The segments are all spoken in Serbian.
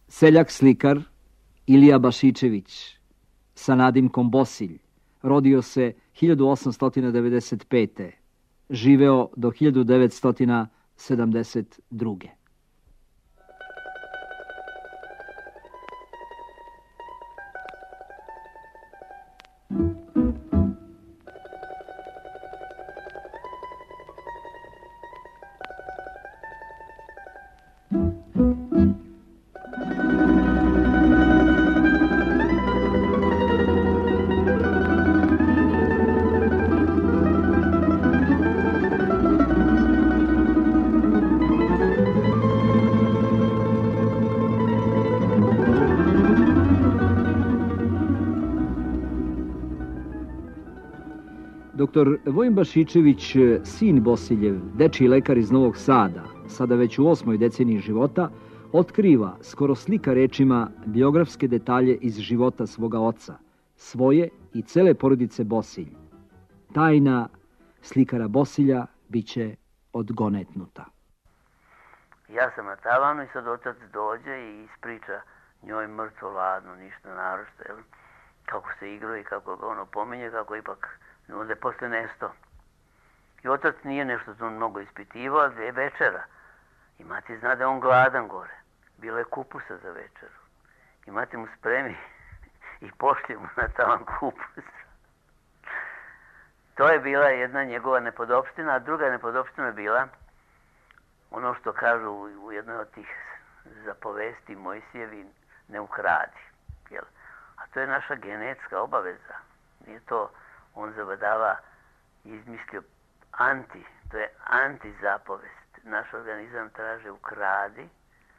Seljak slikar Ilija Bašičević sa nadimkom Bosilj rodio se 1895. Živeo do 1972. Doktor Vojin Bašičević, sin Bosiljev, dečiji lekar iz Novog Sada, sada već u 8. deceniji života, otkriva, skoro slika rečima, biografske detalje iz života svoga oca, svoje i cele porodice Bosilj. Tajna slikara Bosilja biće odgonetnuta. Ja sam na tavanu i sad otac dođe i ispriča njoj mrtvo ladno, ništa naročito, kako se igrao i kako ga ono pominje, kako ipak onda je posle nesto. I otac nije nešto to mnogo ispitivao, ali je večera. I mati zna da je on gladan gore. Bilo je kupusa za večeru. I mati mu spremi i pošlje mu na tavan kupus. To je bila jedna njegova nepodopština, a druga nepodopština je bila ono što kažu u jednoj od tih zapovesti Mojsijevi, ne ukradi. Jel? A to je naša genetska obaveza. Nije to on zavadava i izmislio to je antizapovest. Naš organizam traže ukradi,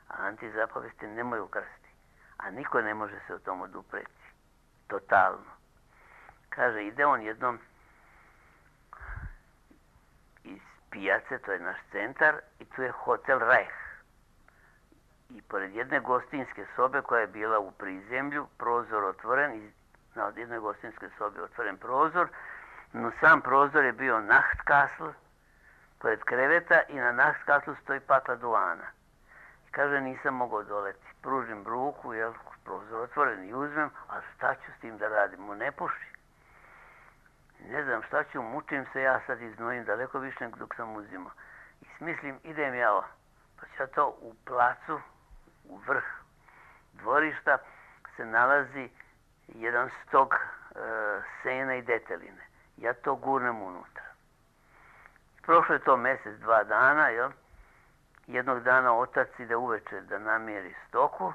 a antizapovesti nemoj ukrasti. A niko ne može se o tom odupreti. Totalno. Kaže, ide on jednom iz pijace, to je naš centar, i tu je hotel Reich. I pored jedne gostinske sobe koja je bila u prizemlju, prozor otvoren, na jednoj gostinskoj sobi otvoren prozor, no sam prozor je bio Nachtkasl, pored kreveta, i na Nachtkaslu stoji pakla duvana. I kaže, nisam mogao doleti. Pružim ruku, prozor otvoren, i uzmem, a šta ću s tim da radim? Mu ne puši. Ne znam šta ću, mučim se, ja sad iznojim daleko više nego dok sam uzimao. I smislim, idem ja, pa ću ja to u placu, u vrh dvorišta, se nalazi jedan stok sena i deteline. Ja to gurnem unutra. Prošlo je to mjesec, 2 dana, Jednog dana otac ide uveče da namjeri stoku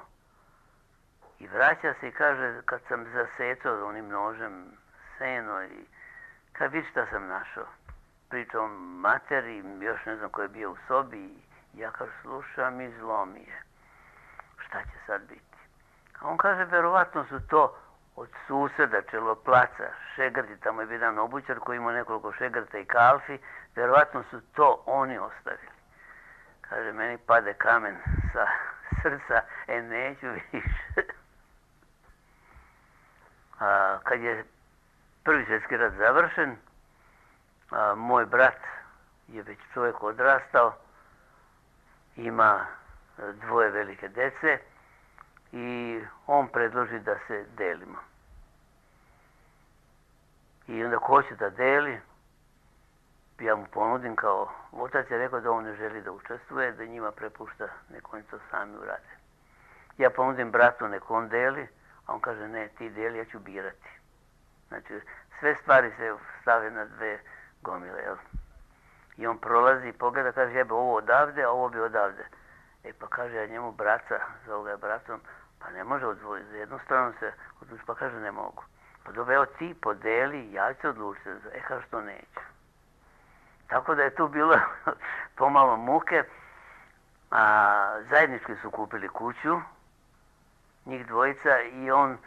i vraća se i kaže, kad sam zasecao onim nožem seno, i kad vidi šta sam našao. Pričao materi, još ne znam ko je bio u sobi, i ja kaže, slušam i zlo mi je. Šta će sad biti? A on kaže, verovatno su to od suseda Čeloplaca, šegrti, tamo je jedan obućar koji ima nekoliko šegrta i kalfi, verovatno su to oni ostavili. Kaže, meni pade kamen sa srca, neću više. Kad je Prvi svjetski rat završen, moj brat je već čovjek odrastao, ima 2 velike dece, i on predloži da se delimo. I onda ko će da deli, ja mu ponudim kao, otac je rekao da on ne želi da učestvuje, da njima prepušta, nek oni to sami urade. Ja ponudim bratu, nek on deli, a on kaže, ne, ti deli, ja ću birati. Znači, sve stvari se stave na 2 gomile, I on prolazi i pogleda, kaže, jebe ovo odavde, a ovo bi odavde. Pa kaže, ja njemu braca, zove ga bratom, pa ne može odvojiti, za jednu stranu se odluči, pa kaže, ne mogu. Pa dobro, evo ti podeli, ja ću se odlučiti, kaže, što neću. Tako da je tu bilo pomalo muke, a zajednički su kupili kuću, njih dvojica, i on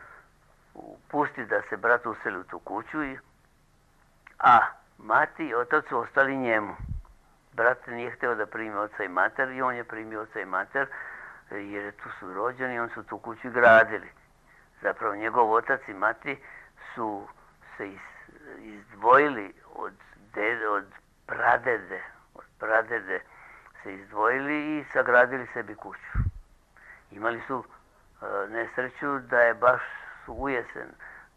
pusti da se brat useli u tu kuću, a mati i otac su ostali njemu. Brat nije htio da primi oca i mater, i on je primio oca i mater, jer tu su rođeni, on su tu kuću gradili. Zapravo njegov otac i mati su se izdvojili od pradede se izdvojili i sagradili sebi kuću. Imali su nesreću da je baš u jesen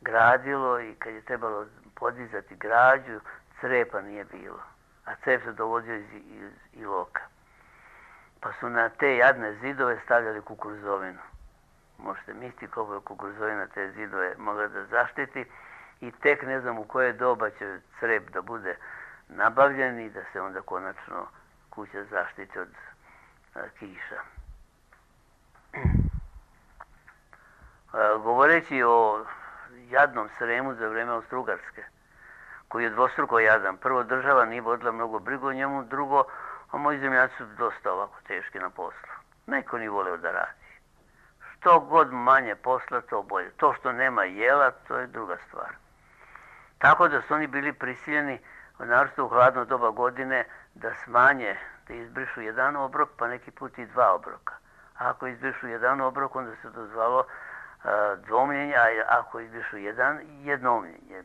gradilo i kad je trebalo podizati građu, crepa nije bilo. A crep se dovodio iz Iloka. Pa su na te jadne zidove stavljali kukuruzovinu. Možete misliti koliko je kukuruzovina te zidove mogla da zaštiti i tek ne znam u koje doba će crep da bude nabavljen i da se onda konačno kuća zaštiti od kiša. Govoreći o jadnom Sremu za vreme Austro-Ugarske, koji je dvostruko jadan. Prvo, država nije vodila mnogo brigu o njemu, drugo, a moji zemljaci su dosta ovako teški na poslu. Neko nije voleo da radi. Što god manje posla, to bolje. To što nema jela, to je druga stvar. Tako da su oni bili prisiljeni, naročito u hladno doba godine, da smanje, da izbrišu jedan obrok, pa neki put i dva obroka. A ako izbrišu jedan obrok, onda se dozvalo dvomljenje, a ako izbrišu jednomljenje.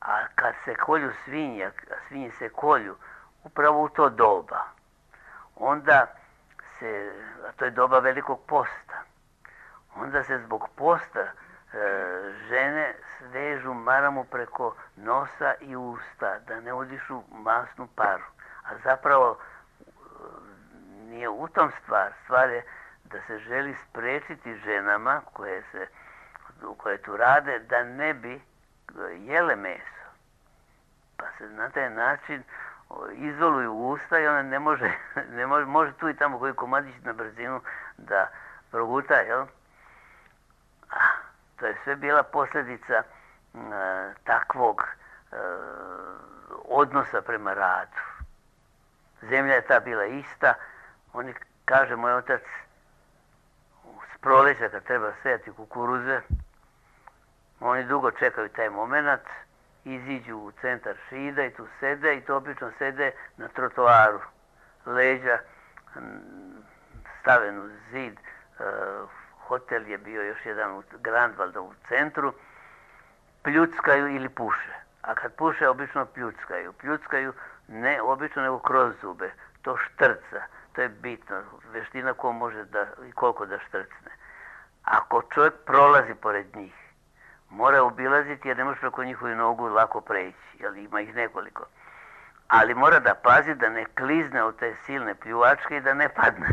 A kad se kolju svinje, a svinje se kolju upravo u to doba, onda se, a to je doba velikog posta, onda se zbog posta žene svežu maramu preko nosa i usta, da ne udišu masnu paru. A zapravo nije u tom stvar je da se želi sprečiti ženama koje tu rade da ne bi jele meso. Pa se na taj način izoluju usta i ona može tu i tamo koji komadić na brzinu da proguta, jel? To je sve bila posljedica takvog odnosa prema radu. Zemlja je ta bila ista. Oni, kaže moj otac, s proleća kad treba sejati kukuruze, oni dugo čekaju taj moment, iziđu u centar Šida i tu sede i to obično sede na trotoaru. Leđa staven uz zid, hotel je bio još jedan u Grandvalda u centru, pljuckaju ili puše. A kad puše, obično pljuckaju. Pljuckaju ne obično, nego kroz zube. To štrca. To je bitno. Veština ko može da i koliko da štrcne. Ako čovjek prolazi pored njih, mora obilaziti jer ne može preko njihovu nogu lako preći. Jer ima ih nekoliko. Ali mora da pazi da ne klizne od te silne pljuvačke i da ne padne.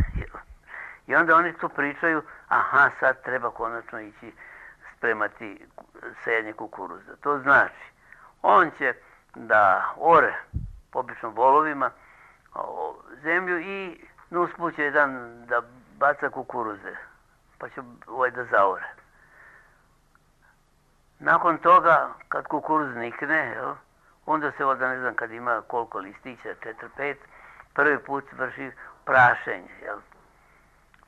I onda oni tu pričaju, aha, sad treba konačno ići spremati sejanje kukuruza. To znači, on će da ore, obično volovima, zemlju i usput će jedan da baca kukuruze, pa će da zaore. Nakon toga, kad kukuruz nikne, onda se ovdje, ne znam, kad ima koliko listića, 4-5, prvi put vrši prašenje, jel?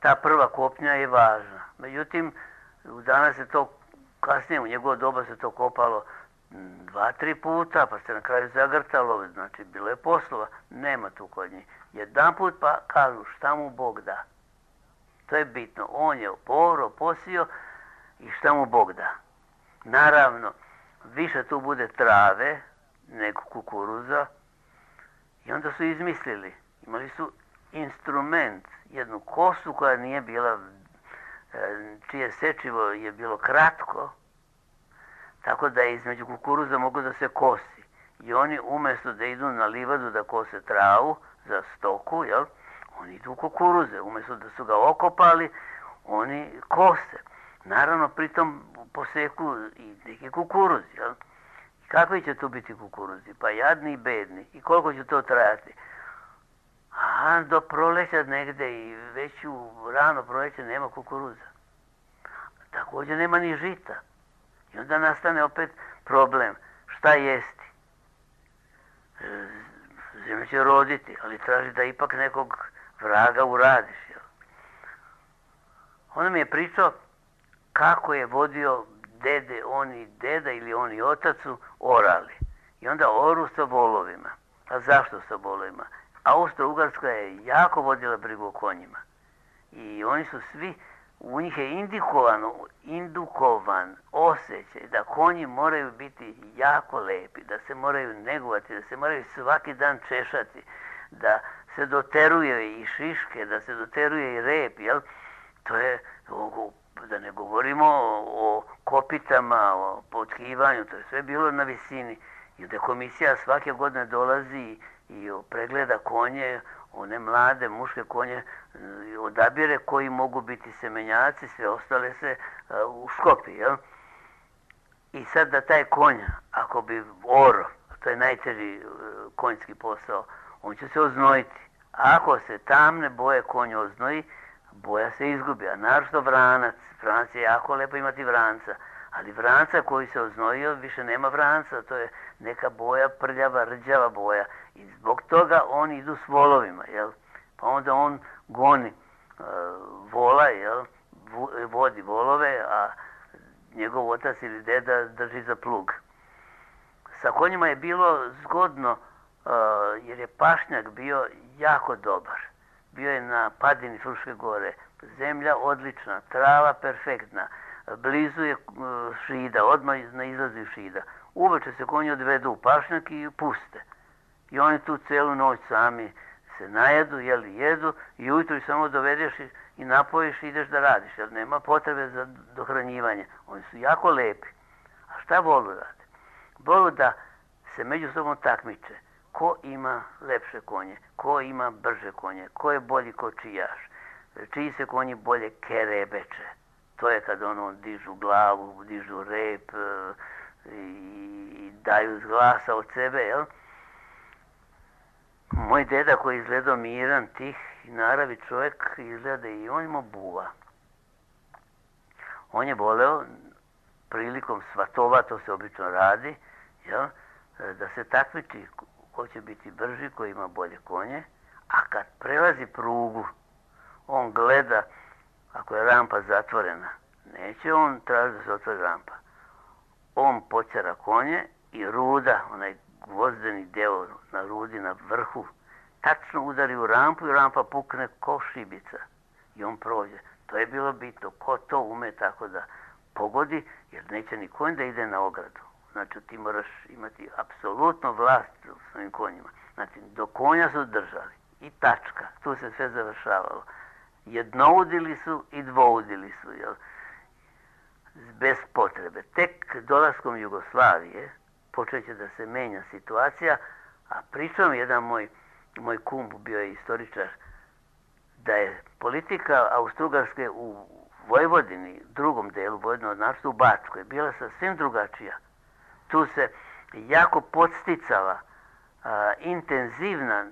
Ta prva kopnja je važna. Međutim, danas se to, kasnije u njegovo doba se to kopalo 2-3 puta, pa se na kraju zagrtalo, znači bilo je poslova, nema tu kod njih. Jedan put pa kažu šta mu Bog da. To je bitno. On je posio i šta mu Bog da. Naravno, više tu bude trave nego kukuruza i onda su izmislili. Imali su instrument, jednu kosu koja nije bila, čije sečivo je bilo kratko, tako da je između kukuruza moglo da se kosi. I oni umjesto da idu na livadu da kose travu za stoku, jel, oni idu u kukuruze. Umjesto da su ga okopali, oni kose. Naravno, pritom poseku i neki kukuruzi, jel. I kakvi će tu biti kukuruzi? Pa jadni i bedni. I koliko će to trajati? A do proleća negde i već u rano proleće nema kukuruza. Također nema ni žita. I onda nastane opet problem. Šta jesti? Zemlja će roditi, ali traži da ipak nekog vraga uradiš. Jel? On mi je pričao kako je vodio dede, oni deda ili oni otacu orali. I onda oru sa volovima. A zašto sa volovima? Austro-Ugarska je jako vodila brigu o konjima. I oni su svi, u njih je indukovan osjećaj da konji moraju biti jako lepi, da se moraju negovati, da se moraju svaki dan češati, da se doteruje i šiške, da se doteruje i rep, jel? to je, da ne govorimo o kopitama, o potkivanju, to je sve bilo na visini. I da komisija svake godine dolazi i pregleda konje, one mlade muške konje, odabire koji mogu biti semenjaci, sve ostale se uškopi, jel? I sad da taj konj, ako bi oro, to je najteži konjski posao, on će se oznojiti. Ako se tamne boje konj oznoji, boja se izgubi, a naročito vranac. Vranac je jako lepo imati vranca, ali vranca koji se oznojio više nema vranca, to je neka boja, prljava, rđava boja. I zbog toga oni idu s volovima, jel? Pa onda on goni vola, jel? Vodi volove, a njegov otac ili deda drži za plug. Sa konjima je bilo zgodno, jer je pašnjak bio jako dobar. Bio je na padini Fruške gore, zemlja odlična, trava perfektna, blizu je šida, odmah na izlazi šida. Uveče se konji odvedu u pašnjak i puste. I oni tu celu noć sami se najedu, jedu i ujutro ih samo dovedeš i napojiš i ideš da radiš, jer nema potrebe za dohranjivanje. Oni su jako lepi. A šta volu rade? Volu da se međusobno takmiče. Ko ima lepše konje, ko ima brže konje, ko je bolji kočijaš, čiji se konji bolje kerebeče. To je kad ono dižu glavu, dižu rep i daju glasa od sebe, jel? Moj deda koji je izgledao miran, tih i naravi čovjek, izgleda i on ima buva. On je voleo prilikom svatova, to se obično radi, jel? Da se takmiči ko će biti brži, ko ima bolje konje, a kad prelazi prugu, on gleda, ako je rampa zatvorena, neće on tražiti da se otvori rampa. On počera konje i ruda, onaj gvozdeni deo na rudi, na vrhu, tačno udari u rampu i rampa pukne ko šibica i on prođe. To je bilo bitno, ko to ume tako da pogodi, jer neće ni konj da ide na ogradu. Znači ti moraš imati apsolutno vlast u svojim konjima. Znači do konja su držali i tačka, tu se sve završavalo. Jednoudili su i dvoudili su, jel? Bez potrebe. Tek dolaskom Jugoslavije počeće da se menja situacija, a pričom jedan moj kum bio je istoričar, da je politika Austrougarske u Vojvodini, drugom delu Vojvodine, naročito u Bačkoj, bila sasvim drugačija. Tu se jako podsticala intenzivna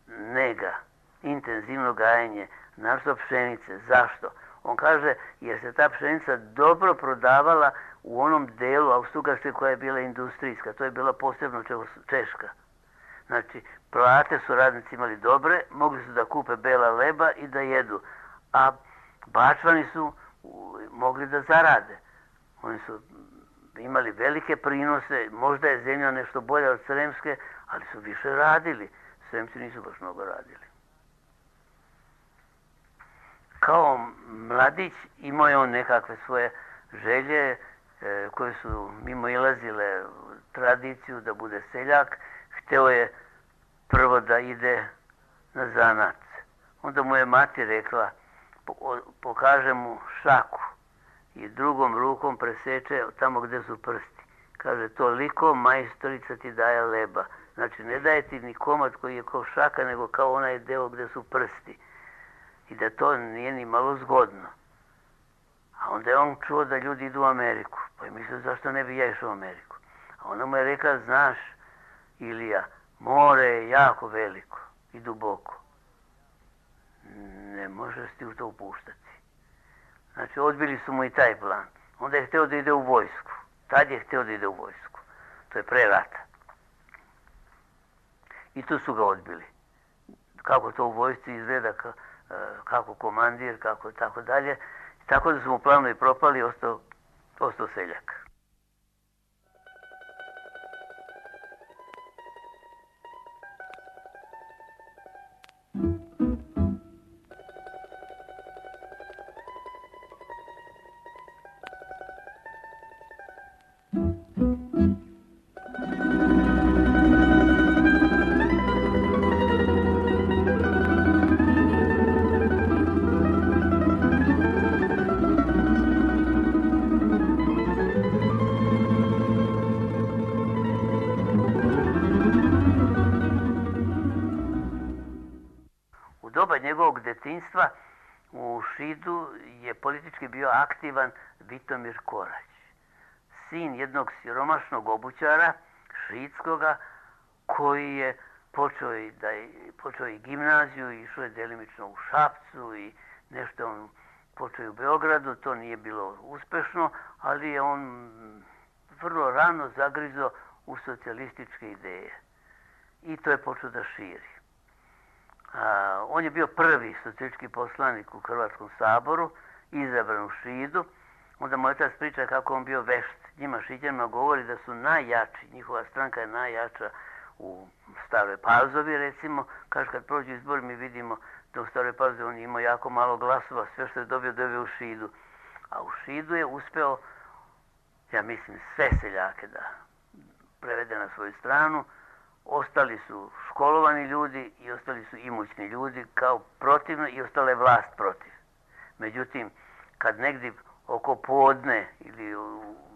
nega, intenzivno gajenje, naročito pšenice. Zašto? On kaže, jer se ta pšenica dobro prodavala u onom delu Austrougarske koja je bila industrijska, to je bila posebno Češka. Znači, plate su radnici imali dobre, mogli su da kupe bela leba i da jedu, a Bačvani su mogli da zarade. Oni su imali velike prinose, možda je zemlja nešto bolja od Sremske, ali su više radili. Sremci nisu baš mnogo radili. Kao mladić imao je on nekakve svoje želje koje su mimo ilazile tradiciju da bude seljak. Hteo je prvo da ide na zanat. Onda mu je mati rekla, pokaže mu šaku i drugom rukom preseče tamo gdje su prsti. Kaže, toliko majstorica ti daje leba. Znači, ne daje ti ni komad koji je kao šaka, nego kao onaj deo gdje su prsti. I da to nije ni malo zgodno. A onda je on čuo da ljudi idu u Ameriku. Pa je mislio, zašto ne bi ja išao u Ameriku? A ona mu je rekla, znaš, Ilija, more je jako veliko i duboko. Ne možeš ti u to upuštati. Znači, odbili su mu i taj plan. Onda je hteo da ide u vojsku. Tad je hteo da ide u vojsku. To je pre rata. I tu su ga odbili. Kako to u vojsci izgleda, kako komandir, kako tako dalje. Tako da su mu planovi propali i ostao seljak. djetinjstva u Šidu je politički bio aktivan Vitomir Korać, sin jednog siromašnog obućara šidskoga koji je počeo i gimnaziju, išao je delimično u Šapcu i nešto on počeo u Beogradu, to nije bilo uspešno, ali je on vrlo rano zagrizo u socijalističke ideje i to je počeo da širi. On je bio prvi socijalistički poslanik u Hrvatskom saboru, izabran u Šidu. Onda moj otac priča kako on bio vešt. Njima Šiđanima govori da su najjači, njihova stranka je najjača u Staroj Pazovi, recimo. Kaže, kad prođu izbori mi vidimo da u Staroj Pazovi on imao jako malo glasova, sve što je dobio u Šidu. A u Šidu je uspeo, ja mislim, sve seljake da prevede na svoju stranu. Ostali su školovani ljudi i ostali su imućni ljudi kao protivno i ostala je vlast protiv. Međutim, kad negdje oko podne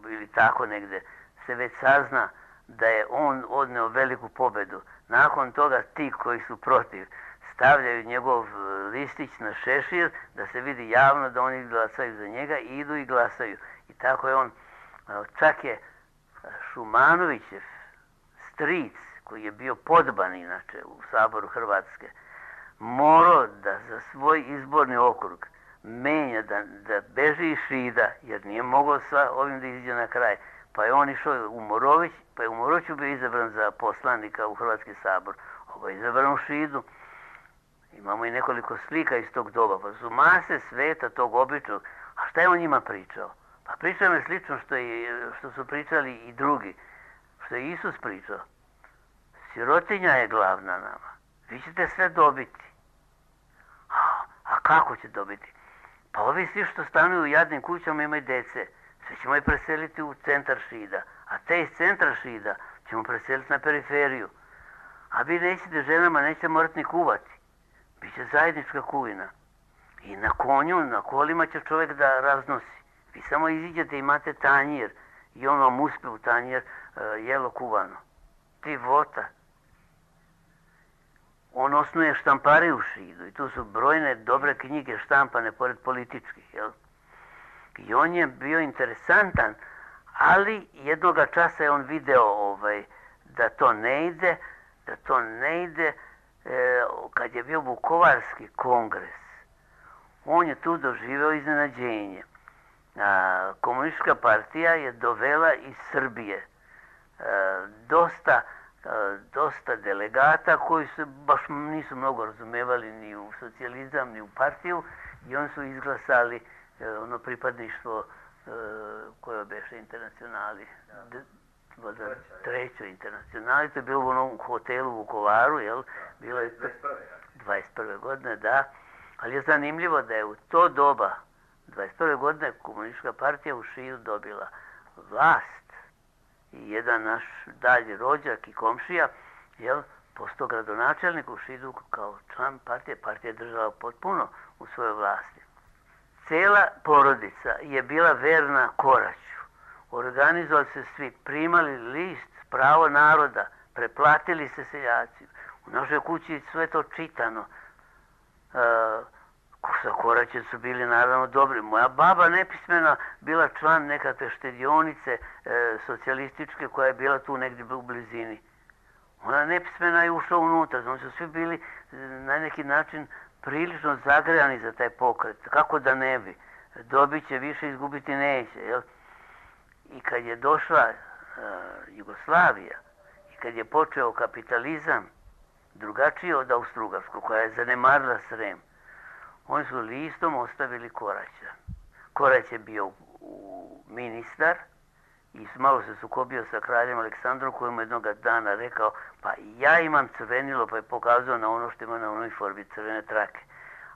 ili tako negdje se već sazna da je on odneo veliku pobedu, nakon toga ti koji su protiv stavljaju njegov listić na šešir da se vidi javno da oni glasaju za njega i idu i glasaju. I tako je on, čak je Šumanovićev stric, koji je bio podban inače u Saboru Hrvatske, morao da za svoj izborni okrug menja, da beži iz Šida, jer nije mogao sa ovim da izađe na kraj. Pa je on išao u Morović, pa je u Moroviću bio izabran za poslanika u Hrvatski sabor. Ovo je izabran u Šidu. Imamo i nekoliko slika iz tog doba, pa su mase sveta tog običnog. A šta je on njima pričao? Pa pričao je slično što su pričali i drugi, što je Isus pričao. Sirotinja je glavna nama. Vi ćete sve dobiti. A kako će dobiti? Pa ovi svi što stanuju u jadnim kućama imaju dece. Sve ćemo ih preseliti u centar Šida. A te iz centra Šida ćemo preseliti na periferiju. A vi nećete ženama, nećete morati ni kuvati. Biće zajednička kuvina. I na konju, na kolima će čovjek da raznosi. Vi samo iziđete i imate tanjir. I on vam uspe u tanjir jelo kuvano. Divota. On osnuje štampari u Šidu i tu su brojne dobre knjige štampane pored političkih, jel? I on je bio interesantan, ali jednoga časa je on video da to ne ide, kad je bio Vukovarski kongres. On je tu doživeo iznenađenje. Komunistička partija je dovela iz Srbije dosta delegata koji se baš nisu mnogo razumevali ni u socijalizam, ni u partiju i oni su izglasali ono pripadništvo koje beše internacionali. Trećoj internacionali, to je bilo u onom hotelu u Vukovaru, jel? Bilo je 21. godine, da. Ali je zanimljivo da je u to doba, 21. godine, komunistička partija u Šidu dobila vlast. I jedan naš dalji rođak i komšija, jel, postao gradonačelnik u Šidu kao član partije. Partija je držala potpuno u svojoj vlasti. Cela porodica je bila verna Koraću. Organizovali se svi, primali list Pravo naroda, preplatili se seljaci. U našoj kući sve to čitano. Sa Koraćem su bili naravno dobri. Moja baba nepismena bila član nekakve štedionice socijalističke koja je bila tu negdje u blizini. Ona nepismena je ušla unutra. Oni su svi bili na neki način prilično zagrejani za taj pokret. Kako da ne bi? Dobit će više, izgubiti neće. Jel? I kad je došla Jugoslavija i kad je počeo kapitalizam drugačiji od Austrougarskog, koja je zanemarila Srem, oni su listom ostavili Koraća. Korać je bio ministar i malo se sukobio sa kraljem Aleksandrom koji mu jednog dana rekao pa ja imam crvenilo, pa je pokazao na ono što ima na uniformi, crvene trake.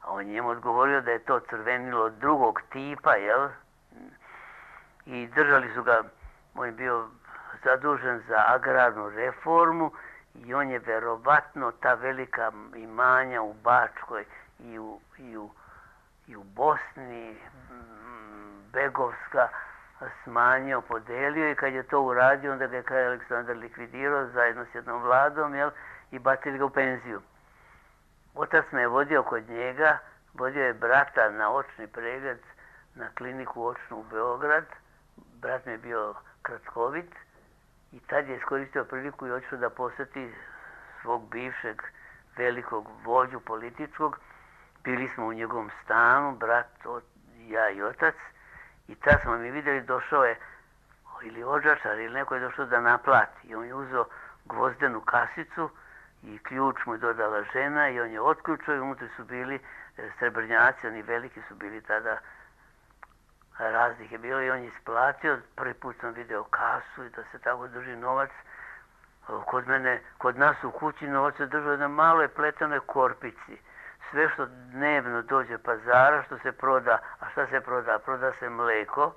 A on njemu odgovorio da je to crvenilo drugog tipa, jel? I držali su ga, on je bio zadužen za agrarnu reformu i on je verovatno ta velika imanja u Bačkoj i u Bosni, Begovska, smanjio, podelio i kad je to uradio, onda ga je kralj Aleksandar likvidirao zajedno s jednom vladom, jel, i bacili ga u penziju. Otac me je vodio kod njega vodio je brata na očni pregled na kliniku očnu u Beograd. Brat mi je bio kratkovit i tad je iskoristio priliku i otišao da posjeti svog bivšeg velikog vođu političkog. Bili smo u njegovom stanu, brat, ja i otac, i tad smo mi vidjeli, došao je ili odžačar ili neko je došao da naplati. I on je uzeo gvozdenu kasicu i ključ mu je dodala žena i on je otključao i unutra su bili srebrnjaci, oni veliki su bili tada, raznih je bilo i on je isplatio. Prvi put sam vidio kasu i da se tako drži novac. Kod nas u kući novac se držao na maloj pletenoj korpici. Sve što dnevno dođe pazara, što se proda, a šta se proda? Proda se mleko,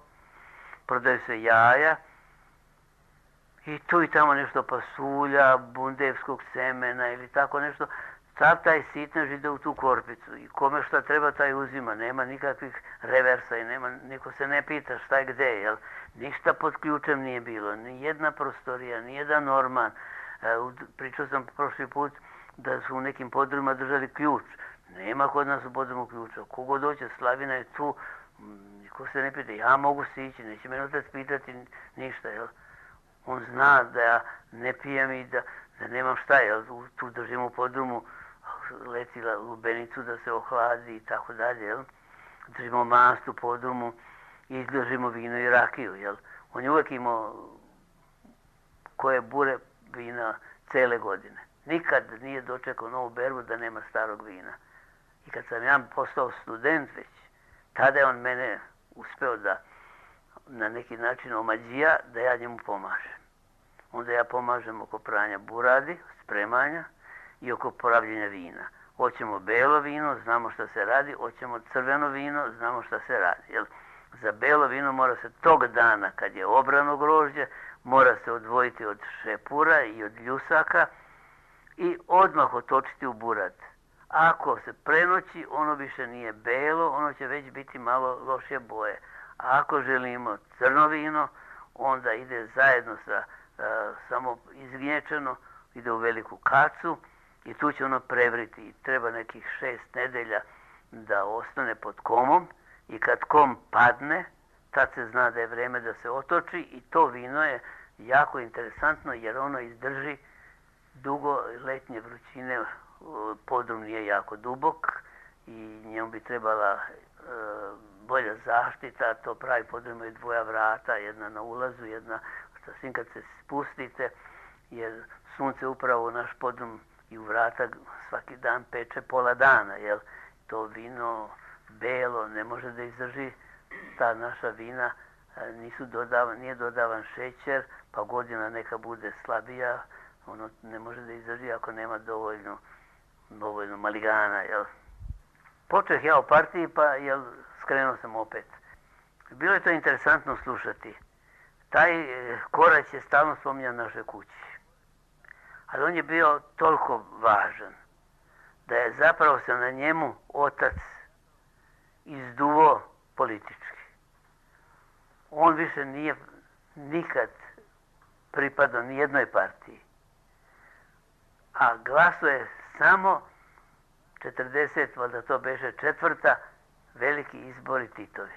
prodaju se jaja i tu i tamo nešto pasulja, bundevskog semena ili tako nešto. Sav taj sitnež ide u tu korpicu i kome šta treba taj uzima, nema nikakvih reversa i niko se ne pita šta je gde, jel? Ništa pod ključem nije bilo, ni jedna prostorija, ni jedan orman. Pričao sam prošli put da su u nekim podrumima držali ključ. Nema kod nas u podrumu ključa. Kogo doće, Slavina je tu, niko se ne pita, ja mogu se ići, neće me otac pitati ništa, jel? On zna da ja ne pijem i da nemam šta, jel? Tu držim u podrumu, letila lubenicu da se ohladi i tako dalje, jel? Držimo mast u podrumu i držimo vino i rakiju, jel? On je uvijek imao koje bure vina cele godine. Nikad nije dočekao novu berbu da nema starog vina. I kad sam ja postao student već, tada je on mene uspeo da na neki način omađija da ja njemu pomažem. Onda ja pomažem oko pranja buradi, spremanja i oko poravljenja vina. Hoćemo belo vino, znamo šta se radi, hoćemo crveno vino, znamo šta se radi. Jel? Za belo vino mora se tog dana, kad je obrano grožđe, mora se odvojiti od šepura i od ljusaka i odmah otočiti u burad. Ako se prenoći, ono više nije belo, ono će već biti malo lošije boje. A ako želimo crno vino, onda ide zajedno sa samo izgnječeno, ide u veliku kacu i tu će ono prevriti. Treba nekih 6 nedelja da ostane pod komom i kad kom padne, tad se zna da je vreme da se otoči i to vino je jako interesantno jer ono izdrži dugo letnje vrućine. Podrum nije jako dubok i njemu bi trebala bolja zaštita. To pravi podrum je dvoja vrata, jedna na ulazu, jedna sasvim kad se spustite, jer sunce upravo u naš podrum i u vrata svaki dan peče pola dana, jer to vino belo ne može da izdrži. Ta naša vina nije dodavan šećer, pa godina neka bude slabija, ono ne može da izdrži ako nema dovoljno maligana, jel? Počeh ja u partiji, pa skrenuo sam opet. Bilo je to interesantno slušati. Taj Korać je stalno spominjan našoj kući. Ali on je bio toliko važan da je zapravo se na njemu otac izduvo politički. On više nije nikad pripadao ni jednoj partiji. A glasuje samo 40, valjda to beše 4. veliki izbori Titovi.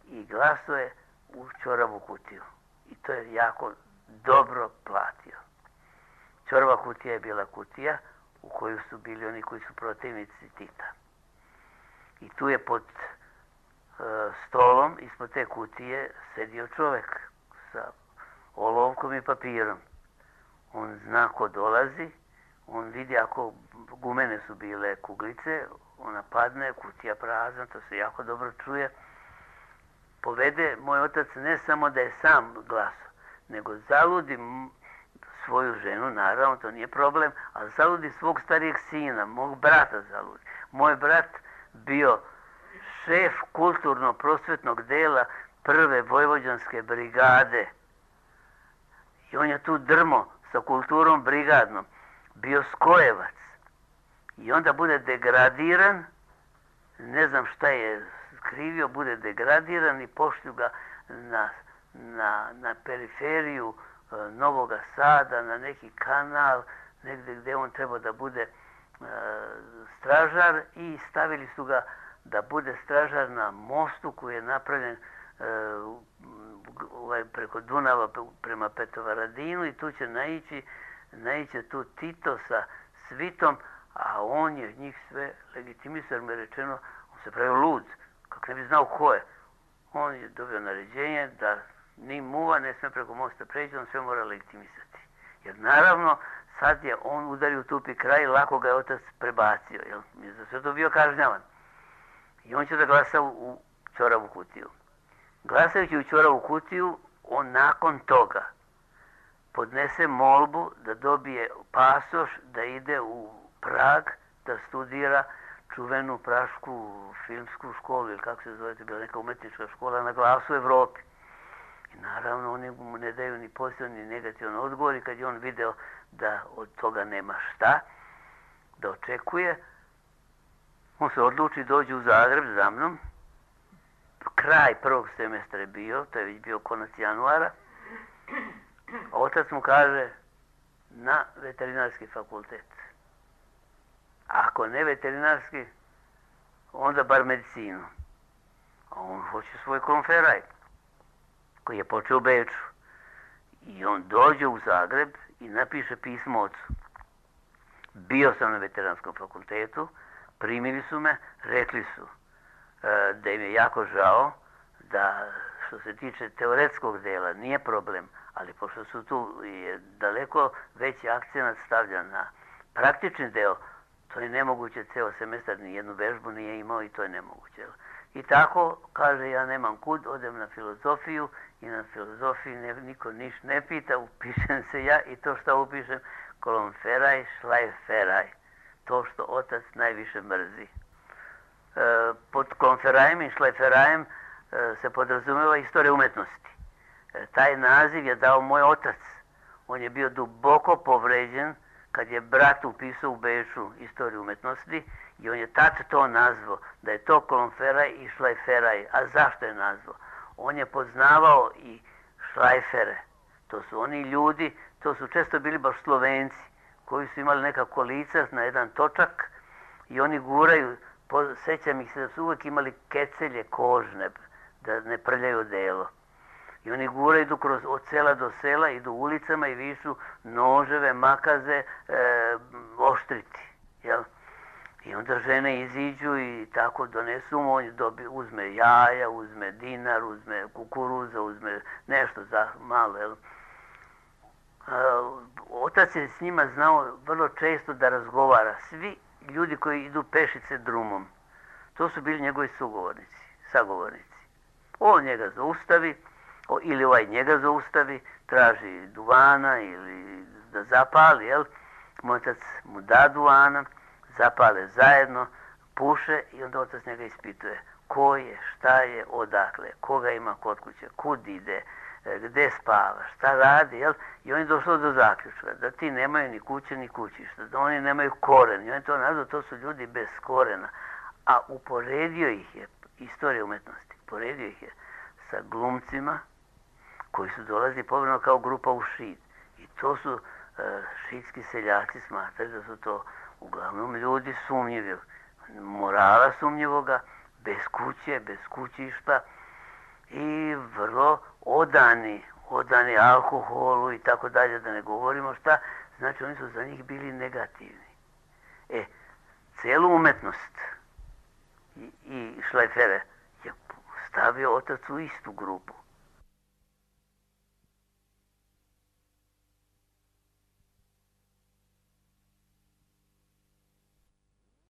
I glasuje u ćoravu kutiju. I to je jako dobro platio. Ćorava kutija je bila kutija u koju su bili oni koji su protivnici Tita. I tu je pod stolom, ispod te kutije, sedio čovjek sa olovkom i papirom. On zna ko dolazi, on vidi ako gumene su bile kuglice, ona padne, kutija prazna, to se jako dobro čuje. Povede moj otac ne samo da je sam glasao, nego zaludi svoju ženu, naravno, to nije problem, ali zaludi svog starijeg sina, mog brata zaludi. Moj brat bio šef kulturno-prosvetnog dela 1. Vojvođanske brigade. I on je tu drmo sa kulturom brigadnom. Bio skojevac. I onda bude degradiran, ne znam šta je skrivio, bude degradiran i pošlju ga na periferiju Novoga Sada, na neki kanal, negdje gdje on treba da bude stražar i stavili su ga da bude stražar na mostu koji je napravljen preko Dunava prema Petrovaradinu i tu će naići tu Tito sa svitom, a on je njih sve legitimisao, jer mu je rečeno, on se pravio lud, kako ne bi znao ko je. On je dobio naređenje da ni muva ne sme preko mosta preći, on sve mora legitimisati. Jer naravno, sad je on udario u tupi kraj i lako ga je otac prebacio, jer je za sve to bio kažnjavan. I on će da glasa u ćoravu kutiju. Glasajući u ćoravu kutiju, on nakon toga podnese molbu da dobije pasoš, da ide u Prag, da studira čuvenu prašku filmsku školu, ili kako se zove, to je bila neka umetnička škola na glasu u Evropi. I naravno, oni mu ne daju ni pozitivan ni negativan odgovor i kad je on video da od toga nema šta, da očekuje, on se odluči, dođe u Zagreb za mnom. Kraj prvog semestra je bio, to je već bio konac januara. Otac mu kaže na veterinarski fakultet. Ako ne veterinarski, onda bar medicinu. A on hoće svoj konferaj, koji je počeo u Beču. I on dođe u Zagreb i napiše pismo ocu. Bio sam na veterinarskom fakultetu, primili su me, rekli su da im je jako žao, da što se tiče teoretskog dela nije problem, ali pošto su tu je daleko veći akcenat stavljan na praktični deo, to je nemoguće, ceo semestar ni jednu vežbu nije imao i to je nemoguće. I tako, kaže, ja nemam kud, odem na filozofiju i na filozofiji niko niš ne pita, upišem se ja i to što upišem, kolonferaj, šlajferaj, to što otac najviše mrzi. Pod konferajem i šlajferajem se podrazumeva istorija umetnosti. Taj naziv je dao moj otac. On je bio duboko povređen kad je brat upisao u Beču istoriju umetnosti i on je tad to nazvao, da je to kolonferaj i šlajferaj. A zašto je nazvao? On je poznavao i šlajfere. To su oni ljudi, to su često bili baš Slovenci, koji su imali neka kolica na jedan točak i oni guraju, sećam ih se da su uvijek imali kecelje kožne, da ne prljaju odelo. I oni guraju, idu od sela do sela, idu ulicama i višu noževe, makaze, oštriti. Jel? I onda žene iziđu i tako donesu mu, on uzme jaja, uzme dinar, uzme kukuruza, uzme nešto za malo. Jel? Otac je s njima znao vrlo često da razgovara. Svi ljudi koji idu pešice drumom, to su bili njegovi sagovornici. On njega zaustavi, ili ovaj njega zaustavi, traži duvana ili da zapali, jel? Moj otac mu da duvana, zapale zajedno, puše i onda otac njega ispituje ko je, šta je, odakle, koga ima kod kuće, kud ide, gde spava, šta radi, jel? I on je došao do zaključka da ti nemaju ni kuće ni kućišta, da oni nemaju koren. I on je to nazvao, to su ljudi bez korena. A uporedio ih je, istorija umetnosti, uporedio ih je sa glumcima koji su dolazili povremeno kao grupa u Šid. I to su šidski seljaci smatrali da su to uglavnom ljudi sumnjivi, morala sumnjivoga, bez kuće, bez kućišta i vrlo odani alkoholu i tako dalje, da ne govorimo šta, znači oni su za njih bili negativni. Celu umetnost i šlajfere je stavio otac u istu grupu.